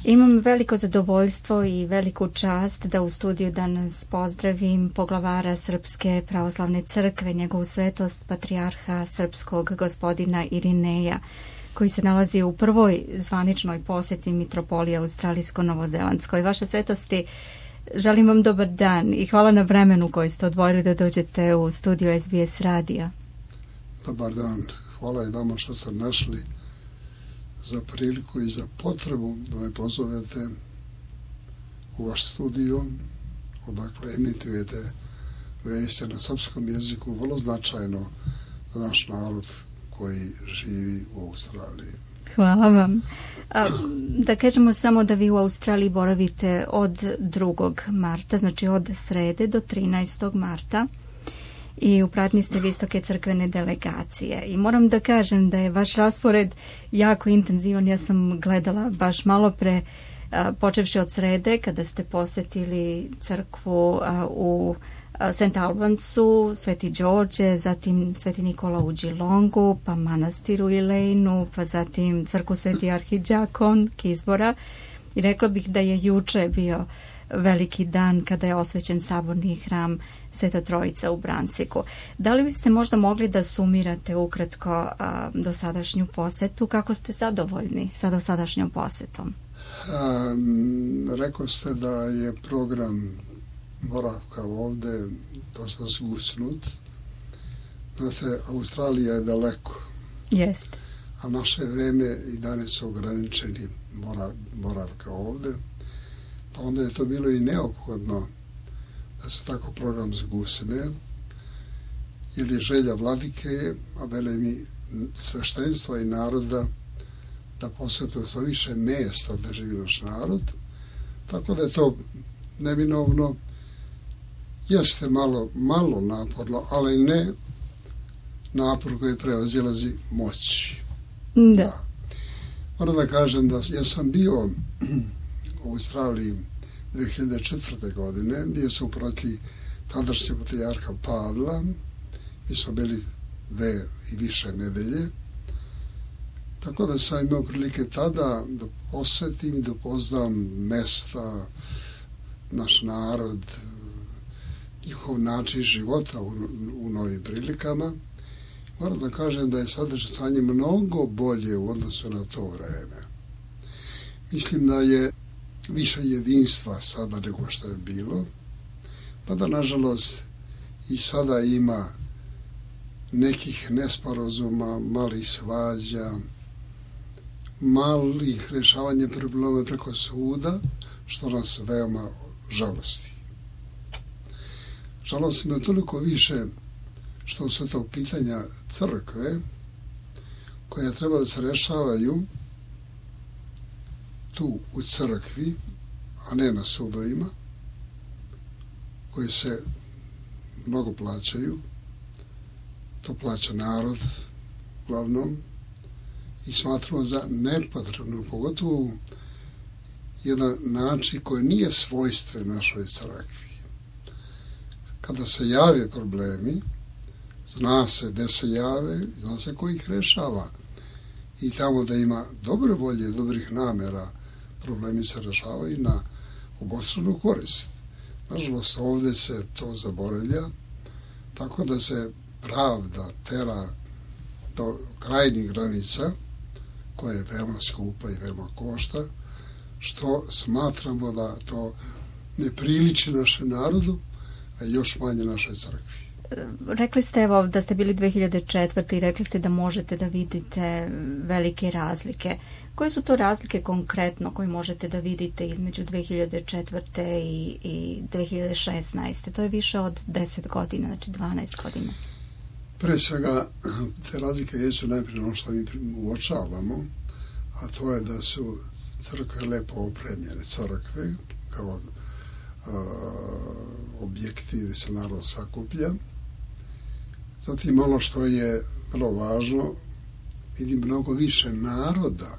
Imam veliko zadovoljstvo i veliku čast da u studiju danas pozdravim poglavara Srpske pravoslavne crkve, njegovu svetost patrijarha srpskog gospodina Irineja, koji se nalazi u prvoj zvaničnoj posjeti mitropolije Australijsko-Novozelandskoj. Vaša svetosti, želim vam dobar dan i hvala na vremenu koji ste odvojili da dođete u studiju SBS radija. Dobar dan, hvala i vama što ste našli za priliku i za potrebu da me pozovete u vaš studio, odakle emitujete vesti na srpskom jeziku, vrlo značajno za naš narod koji živi u Australiji. Hvala vam. Da kažemo samo da vi u Australiji boravite od 2. marta, znači od srede do 13. marta. I u pratnji ste visoke crkvene delegacije. I moram da kažem da je vaš raspored jako intenzivan. Ja sam gledala baš malo pre, počevši od srede, kada ste posjetili crkvu u St. Albansu, Sveti Đorđe, zatim Sveti Nikola u Geelongu, pa manastir u Ilejnu, pa zatim crkvu Sveti Arhidžakon, Kizbora. I rekla bih da je juče bio veliki dan kada je osvećen saborni hram Sveta Trojica u Brunswicku. Da li biste možda mogli da sumirate ukratko dosadašnju posetu? Kako ste zadovoljni sa dosadašnjom posetom? Rekao ste da je program boravka ovde dosta zgusnut. Znate, Australija je daleko. Jeste. A naše vreme i dane su ograničeni boravka ovde. Pa onda je to bilo i neophodno da se tako program zgusne, jer je želja vladike, a vele mi sveštenstva i naroda, da posjete to više mjesta da živi naš narod. Tako da je to neminovno, jeste malo naporno, ali ne napor koji prevazilazi moć. Da. Moram da kažem da ja sam bio u Australiji 2004. godine, bio sam u proti tadašnjeg patrijarha Pavla, mi smo bili 2 i više nedelje, tako da sam imao prilike tada da posjetim i da upoznam mesta, naš narod, njihov način života u novim prilikama. Moram da kažem da je sadašnje stanje mnogo bolje u odnosu na to vreme. Mislim da je više jedinstva sada nego što je bilo, pa da nažalost i sada ima nekih nesporazuma, malih svađa, malih rješavanja problema preko suda, što nas veoma žalosti. Žalosti me toliko više što su to pitanja crkve koja treba da se rešavaju tu u crkvi, a ne na sudovima, koji se mnogo plaćaju. To plaća narod, uglavnom, i smatramo za nepotrebno, pogotovo jedan način koji nije svojstven našoj crkvi. Kada se jave problemi, zna se gde se jave, zna se ko ih rešava. I tamo da ima dobre volje, dobrih namera, problemi se rešavaju na obostranu korist. Nažalost, ovde se to zaboravlja, tako da se pravda tera do krajnjih granica, koja je veoma skupa i veoma košta, što smatramo da to ne priliči našem narodu, a još manje našoj crkvi. Rekli ste evo da ste bili 2004. i rekli ste da možete da vidite velike razlike. Koje su to razlike konkretno koje možete da vidite između 2004. i 2016. To je više od 10 godina, znači 12 godina. Pre svega, te razlike jesu najprije ono što mi uočavamo, a to je da su crkve lepo opremljene, crkve kao objekti gdje se narod sakuplja. Zatim ono što je vrlo važno, vidim mnogo više naroda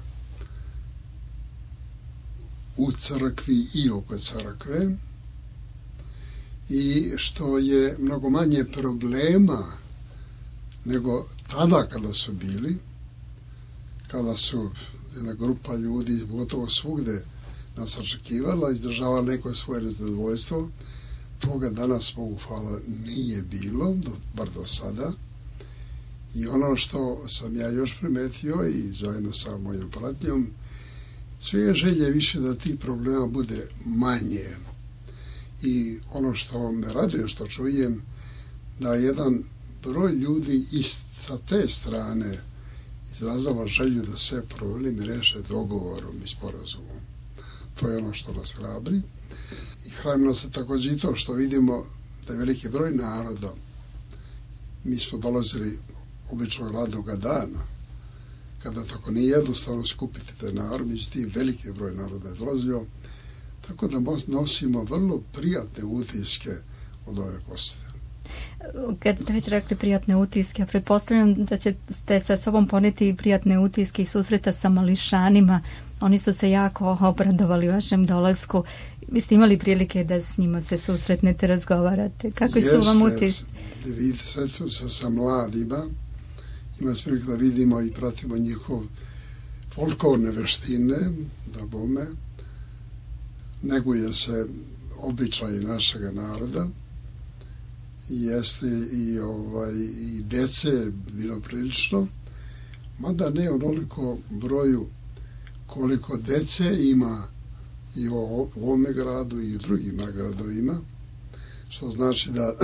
u crkvi i oko crkve i što je mnogo manje problema nego tada kada su bili, kada su jedna grupa ljudi gotovo svugde nas očekivala, izdržavala neko svoje nezadovoljstvo. Toga danas, Bogu hvala, nije bilo, bar do sada. I ono što sam ja još primetio i zajedno sa mojom pratnjom, sve želje više da tih problema bude manje. I ono što me raduje, što čujem, da jedan broj ljudi sa te strane izrazava želju da se problemi reše dogovorom i sporazumom. To je ono što nas hrabri. I hrabri nas također i to što vidimo da je veliki broj naroda. Mi smo dolazili obično radnoga dana, kada tako nije jednostavno skupiti te narod, međutim veliki broj naroda je dolazio, tako da nosimo vrlo prijatne utiske od ove posete. Kad ste već rekli prijatne utiske, pretpostavljam da ćete sa sobom poneti i prijatne utiske i susreta sa mališanima. Oni su se jako obradovali vašem dolasku. Vi ste imali prilike da s njima se susretnete, razgovarate. Kakvi su vam utisci? Vidite, sad sa mladima ima prilike da vidimo i pratimo njihov folklorne veštine, da bome, neguje se običaj našega naroda. Jeste i dece bilo prilično, mada ne onoliko broju koliko dece ima i u ovome gradu i u drugim gradovima, što znači da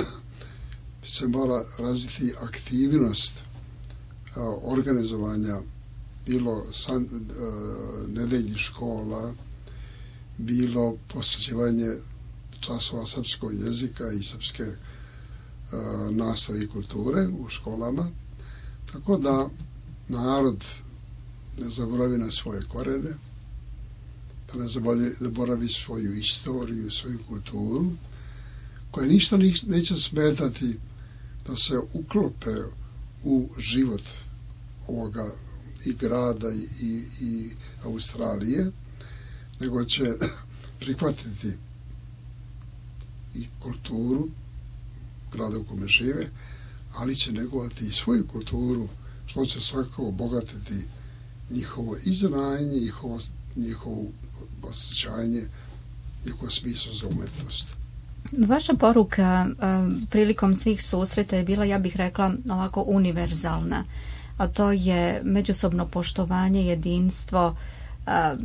se mora razviti aktivnost organizovanja bilo nedeljnih škola, bilo posjećivanje časova srpskog jezika i srpske nastave i kulture u školama, tako da narod ne zaboravi na svoje korene, da ne zaboravi svoju istoriju, svoju kulturu, koja ništa neće smetati da se uklope u život ovoga i grada i Australije, nego će prihvatiti i kulturu grada u kome žive, ali će negovati i svoju kulturu, što će svakako obogatiti njihovo iznanje, njihovo osjećanje, njihovo smislo za umetnost. Vaša poruka prilikom svih susreta je bila, ja bih rekla, ovako univerzalna, a to je međusobno poštovanje, jedinstvo.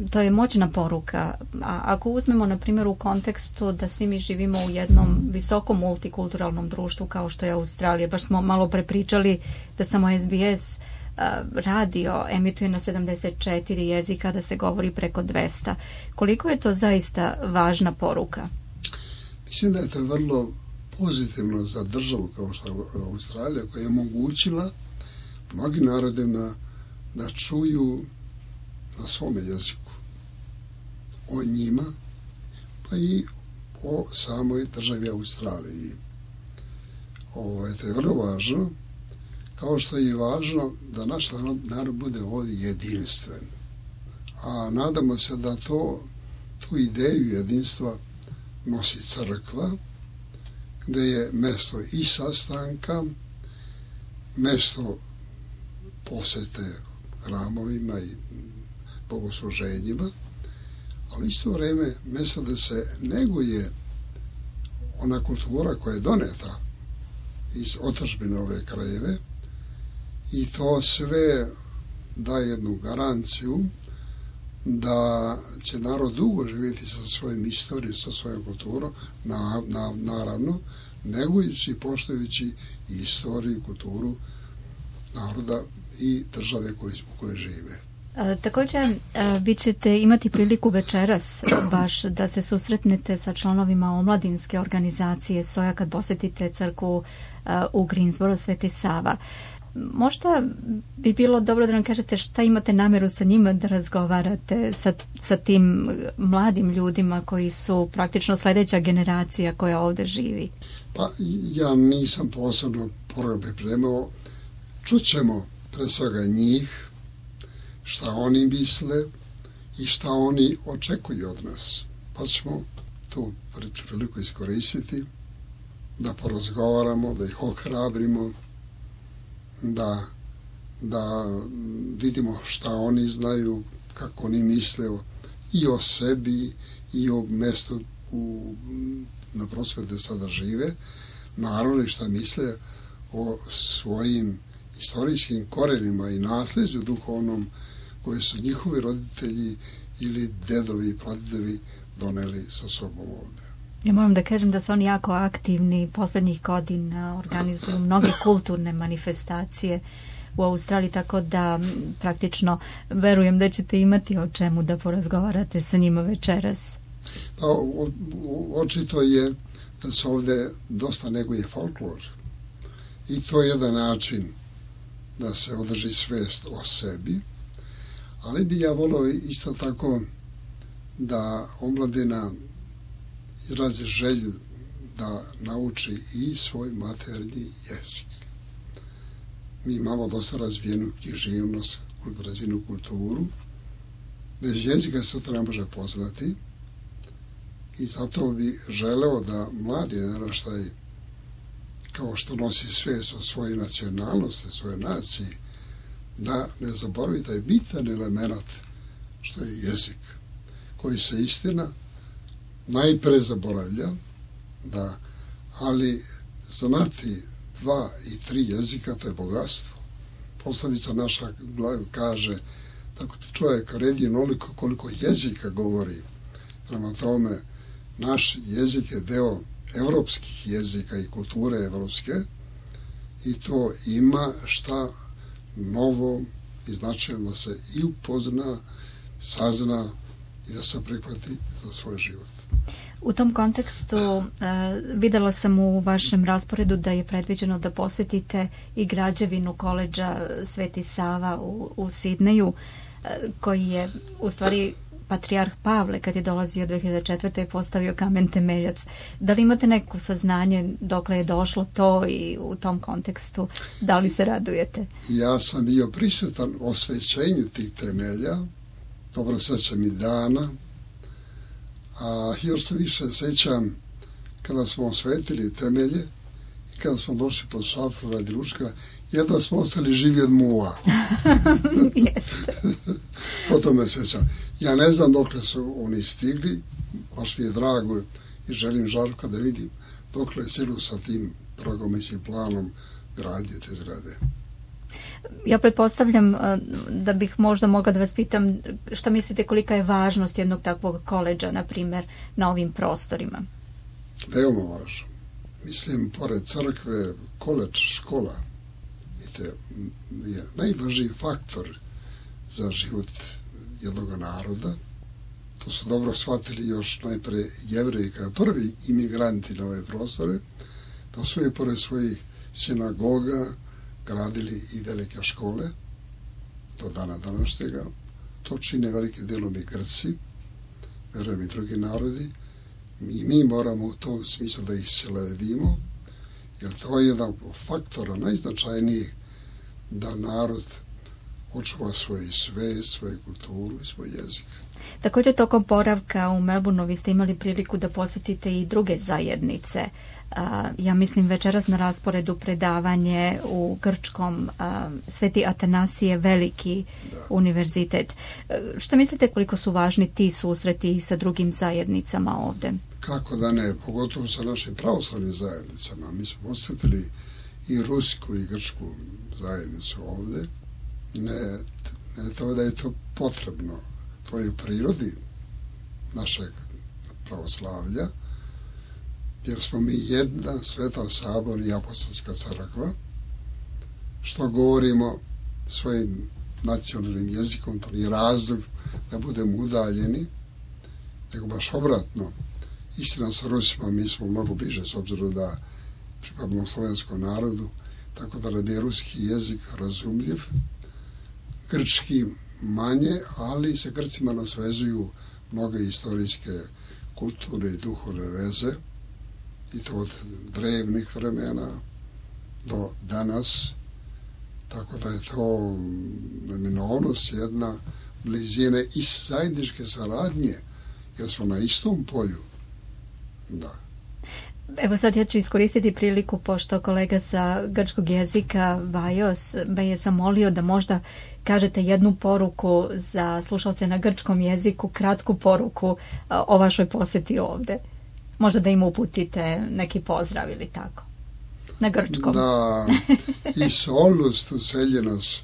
To je moćna poruka. A ako uzmemo, na primjer, u kontekstu da svi mi živimo u jednom visokom multikulturalnom društvu kao što je Australija, baš smo malo prepričali da samo SBS radio emituje na 74 jezika, da se govori preko 200. Koliko je to zaista važna poruka? Mislim da je to vrlo pozitivno za državu kao što je Australija, koja je omogućila mnogim narodima da čuju na svome jeziku o njima, pa i o samoj državi Australiji. To je vrlo važno, kao što je i važno da naš narod bude ovdje jedinstven. A nadamo se da tu ideju jedinstva nosi crkva, gdje je mjesto i sastanka, mjesto posjete hramovima i bogosluženjima, ali isto vrijeme mjesto da se neguje ona kultura koja je doneta iz otadžbine ove krajeve, i to sve daje jednu garanciju da će narod dugo živjeti sa svojim istorijom, sa svojom kulturom, naravno, negujući i poštujući i istoriju i kulturu naroda i države u kojoj žive. Također, vi ćete imati priliku večeras baš da se susretnete sa članovima omladinske organizacije SOJA kad posjetite crkvu u Greensboro, Sveti Sava. Možda bi bilo dobro da nam kažete šta imate namjeru sa njima da razgovarate sa tim mladim ljudima koji su praktično sljedeća generacija koja ovdje živi. Pa ja nisam posebno program pripremao. Čućemo pre svega njih, šta oni misle i šta oni očekuju od nas. Pa ćemo tu priliku iskoristiti da porazgovaramo, da ih ohrabrimo, da vidimo šta oni znaju, kako oni misle i o sebi i o mestu na prostoru gde sada žive, naravno šta misle o svojim istorijskim korenima i nasleđu duhovnom koje su njihovi roditelji ili dedovi i pradedovi doneli sa sobom ovde. Ja moram da kažem da su oni jako aktivni poslednjih godina, organizuju mnoge kulturne manifestacije u Australiji, tako da praktično verujem da ćete imati o čemu da porazgovarate sa njima večeras. Pa, očito je da se ovde dosta neguje folklor i to je jedan način da se održi svest o sebi, ali bi ja volio isto tako da omladina izrazi želju da nauči i svoj maternji jezik. Mi imamo dosta razvijenu književnost, razvijenu kulturu. Bez jezika se to ne može poznati i zato bi želeo da mladi naraštaj, kao što nosi svest o svojoj nacionalnosti, svojoj naciji, da ne zaboravi taj bitan element što je jezik, koji se istina najpre zaboravlja, da, ali znati 2 i 3 jezika, to je bogatstvo. Poslovica naša kaže da čovjek redi onoliko koliko jezika govori. Prema tome, naš jezik je deo evropskih jezika i kulture evropske i to ima šta novo i značajno da se i upozna, sazna i da se prihvati za svoj život. U tom kontekstu videla sam u vašem rasporedu da je predviđeno da posjetite i građevinu koledža Sveti Sava u Sidneju, koji je u stvari patrijarh Pavle kad je dolazio 2004. postavio kamen temeljac. Da li imate neko saznanje dokle je došlo to i u tom kontekstu da li se radujete? Ja sam bio prisutan osvećenju tih temelja, dobro sećam i dana, a još se više sećam kada smo osvetili temelje i kada smo došli pod šator radi ručka, jedva smo ostali živi od muva. O tome sećam. Ja ne znam dokle su oni stigli, baš mi je drago i želim Žarka da vidim dokle je stiglo sa tim programom i planom gradnje te zgrade. Ja pretpostavljam da bih možda mogla da vas pitam šta mislite kolika je važnost jednog takvog koledža, na primjer, na ovim prostorima? Veoma važno. Mislim, pored crkve, koledž, škola je najvažniji faktor za život jednog naroda. To su dobro shvatili još najpre Jevreji kao prvi imigranti na ove prostore, da su i pored svojih sinagoga gradili i velike škole do dana današnjega. To čine velike delom i Grci, verujem i drugi narodi, i mi moramo u tom smislu da ih sledimo, jer to je jedan faktora najznačajnijih da narod očuva svoj svest, svoju kulturu i svoj jezik. Također tokom boravka u Melbourneu vi ste imali priliku da posjetite i druge zajednice. Ja mislim večeras na rasporedu predavanje u grčkom Sveti Atanasije Veliki univerzitet. Što mislite koliko su važni ti susreti sa drugim zajednicama ovde? Kako da ne, pogotovo sa našim pravoslavnim zajednicama. Mi smo posjetili i rusku i grčku zajednicu ovde. Ne to da je to potrebno, to je u prirodi našeg pravoslavlja, jer smo mi jedna sveta sabor i apostolska crkva, što govorimo svojim nacionalnim jezikom, to nije razlog da budemo udaljeni, nego baš obratno. Istina sa Rusima mi smo mnogo bliže, s obzirom da pripadamo slovenskom narodu, tako da nam je ruski jezik razumljiv, grčki manje, ali sa Grcima nas vezuju mnoge istorijske, kulturne i duhovne veze, i to od drevnih vremena do danas, tako da je to neminovnost jedna blizine i zajedničke saradnje, jer smo na istom polju. Da. Evo sad ja ću iskoristiti priliku, pošto kolega sa grčkog jezika Vajos me je zamolio da možda kažete jednu poruku za slušalce na grčkom jeziku, kratku poruku o vašoj posjeti ovde. Možda da im uputite neki pozdrav ili tako. Na grčkom. Da, εις όλους τους Έλληνες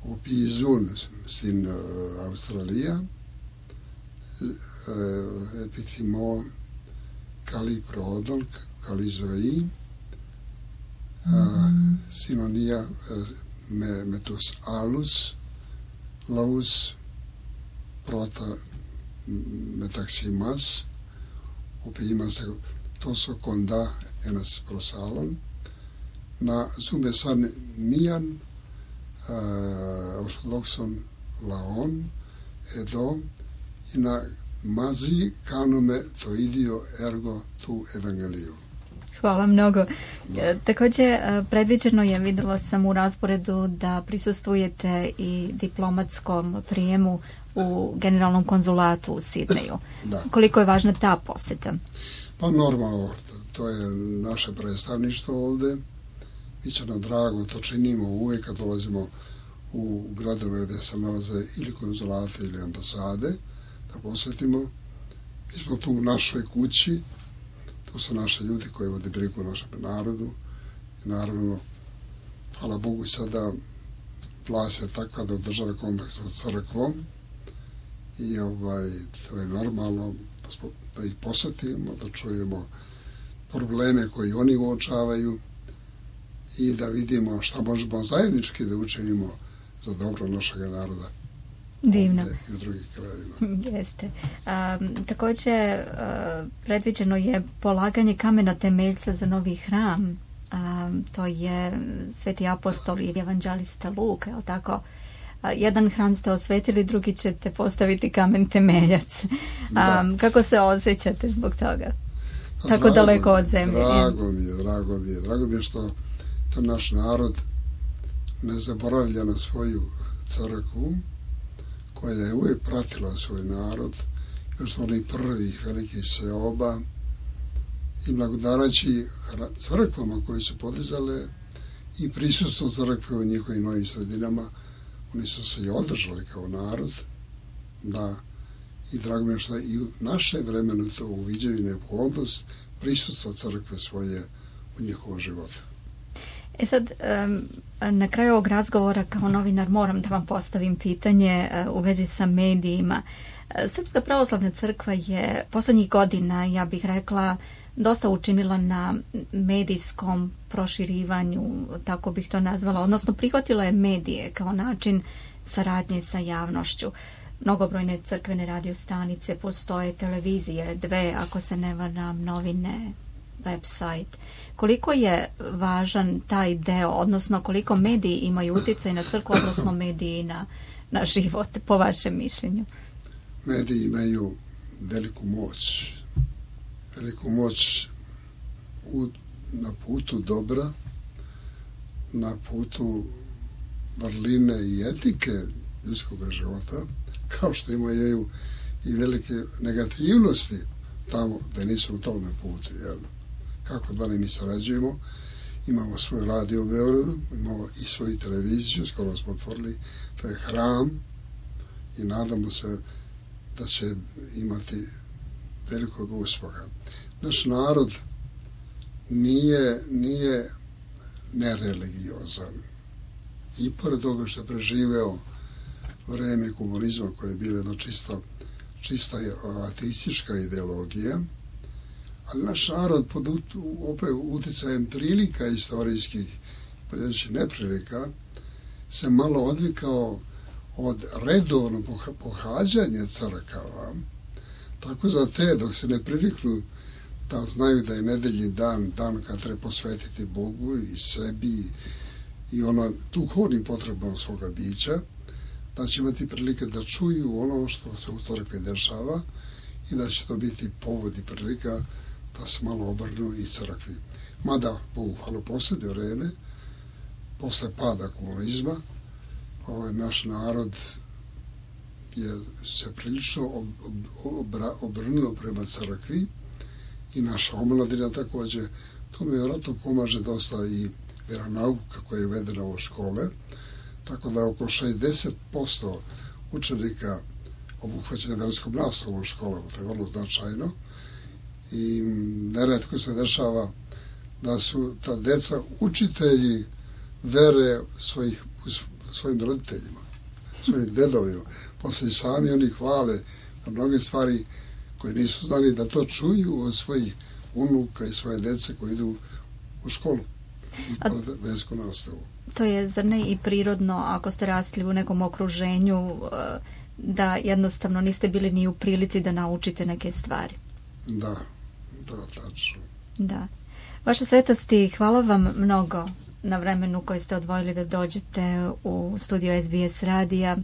που ζουν στην Αυστραλία επιθυμώ καλή πρόοδο, καλή ζωή, συνωνία με τους άλλους λαούς, πρώτα μεταξύ μας, όπου είμαστε τόσο κοντά ένας προς άλλον, να ζούμε σαν μίαν ορθοδόξων λαών εδώ i na μαζί κάνουμε το ίδιο έργο του Evangeliju. Hvala mnogo. Također, predviđeno je, vidjela sam u rasporedu, da prisustvujete i diplomatskom prijemu u generalnom konzulatu u Sidneju. Da. Koliko je važna ta posjeta? Pa normalno, to je naše predstavništvo ovde. Biće nam drago, to činimo uvijek kad dolazimo u gradove gdje se nalaze ili konzulate ili ambasade, da posjetimo. Mi smo tu u našoj kući, to su naši ljudi koji vode brigu o našem narodu. I naravno, hvala Bogu sada vlast je takva da održava kontakt sa crkvom i to je normalno da ih posjetimo, da čujemo probleme koji oni uočavaju i da vidimo šta možemo zajednički da učinimo za dobro našeg naroda. Divno. Ovdje i u drugih krajevima. Jeste. Također, predviđeno je polaganje kamena temeljca za novi hram. To je Sveti apostol i evanđelista Luka, je li tako? Jedan hram ste osvetili, drugi ćete postaviti kamen temeljac. Kako se osjećate zbog toga? Tako daleko od zemlje. Drago mi je što to naš narod ne zaboravlja na svoju crkvu, koja je uvijek pratila svoj narod, još onih prvih velikih seoba, i blagodarajući crkvama koje su podizale i prisutstvo crkve u njihovim novim sredinama, oni su se i održali kao narod, da, i drago mi je što i u naše vremenu to uviđaju neophodnost prisutstva crkve svoje u njihovom životu. Sad, na kraju ovog razgovora kao novinar moram da vam postavim pitanje u vezi sa medijima. Srpska pravoslavna crkva je poslednjih godina, ja bih rekla, dosta učinila na medijskom proširivanju, tako bih to nazvala, odnosno prihvatila je medije kao način saradnje sa javnošću. Mnogobrojne crkvene radiostanice postoje, televizije, 2, ako se ne varam, novine, website. Koliko je važan taj deo, odnosno koliko mediji imaju utjecaj na crkvu, odnosno mediji na život, po vašem mišljenju? Mediji imaju veliku moć na putu dobra, na putu vrline i etike ljudskog života, kao što imaju i velike negativnosti tamo da nisu u tome putu, jel? Kako da mi sarađujemo, imamo svoj radio u Beogradu, imamo i svoju televiziju, skoro smo otvorili, to je hram i nadamo se da će imati velikog uspeha. Naš narod nije nereligiozan. I pored toga što je preživeo vreme komunizma koje je bilo jedno čista ateistička ideologija, ali naš narod pod uticajem prilika istorijskih, pojedinačnih neprilika, se malo odvikao od redovnog pohađanja crkava. Tako za te, dok se ne priviknu da znaju da je nedeljni dan kad treba posvetiti Bogu i sebi i duhovnim potrebama svoga bića, da će imati prilike da čuju ono što se u crkvi dešava i da će to biti povod i prilika da se malo obrnu i crkvi. Mada, Bogu hvala, posljednje vreme, posle pada komunizma, naš narod je se prilično obrnuo prema crkvi i naša omladina također. To mi vjerojatno pomaže dosta i vjeronauka koja je uvedena u škole, tako da oko 60% učenika obuhvaćene vjerskom nastavom u školama, to je vrlo značajno i neretko se dešava da su ta deca učitelji vere svojim roditeljima, svojim dedovima. Poslije sami oni hvale na mnoge stvari koje nisu znali da to čuju od svojih unuka i svoje dece koji idu u školu i versku nastavu. To je, zar ne, i prirodno ako ste rasli u nekom okruženju da jednostavno niste bili ni u prilici da naučite neke stvari. Da, tačno. Da. Vaša svetosti, hvala vam mnogo na vremenu koje ste odvojili da dođete u studio SBS radija.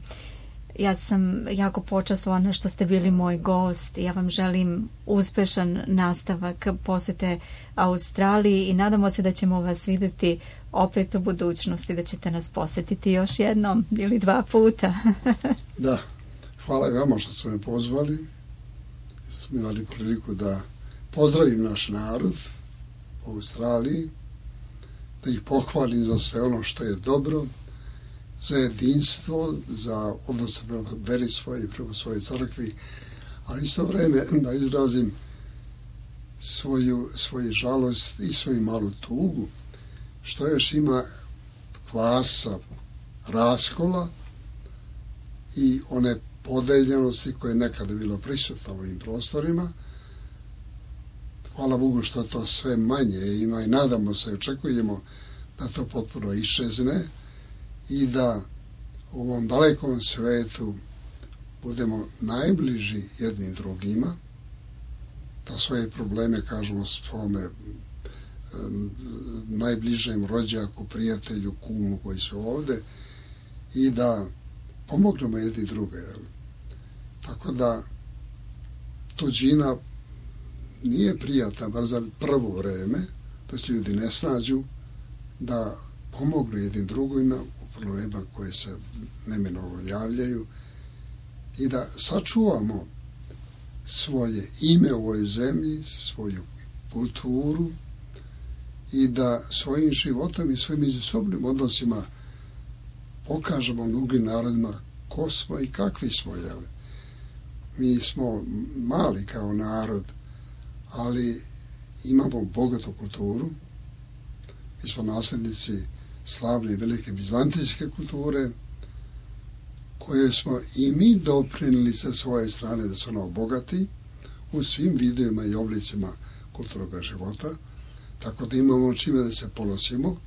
Ja sam jako počastvovana što ste bili moj gost. Ja vam želim uspešan nastavak posete Australiji i nadamo se da ćemo vas vidjeti opet u budućnosti, da ćete nas posetiti još jednom ili 2 puta. Da, hvala i vama što ste me pozvali. Ste mi dali priliku da pozdravim naš narod u Australiji, da ih pohvalim za sve ono što je dobro, za jedinstvo, za odnos prema veri svoje i prema svojoj crkvi, ali isto vreme da izrazim svoju žalost i svoju malu tugu, što još ima kvasa, raskola i one podeljenosti koje je nekada bilo prisutno u ovim prostorima. Hvala Bogu što to sve manje ima i nadamo se i očekujemo da to potpuno iščezne i da u ovom dalekom svetu budemo najbliži jednim drugima, da svoje probleme kažemo svome najbližem rođaku, prijatelju, kumu koji su ovde i da pomognemo jedni druge. Tako da tuđina nije prijatna, bar za prvo vreme, da se ljudi ne snađu, da pomognu jednim drugima u problema koje se neminovno javljaju i da sačuvamo svoje ime u ovoj zemlji, svoju kulturu i da svojim životom i svojim međusobnim odnosima pokažemo drugim narodima ko smo i kakvi smo. Mi smo mali kao narod, ali imamo bogatu kulturu. Mi smo nasljednici slavne i velike bizantijske kulture, koje smo i mi doprinijeli sa svoje strane da su ona obogati u svim vidovima i oblicima kulturnog života, tako da imamo čime da se ponosimo,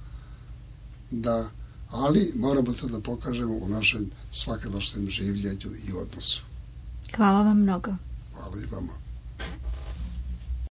ali moramo to da pokažemo u našem svakodnevnom življenju i odnosu. Hvala vam mnogo. Hvala i vama.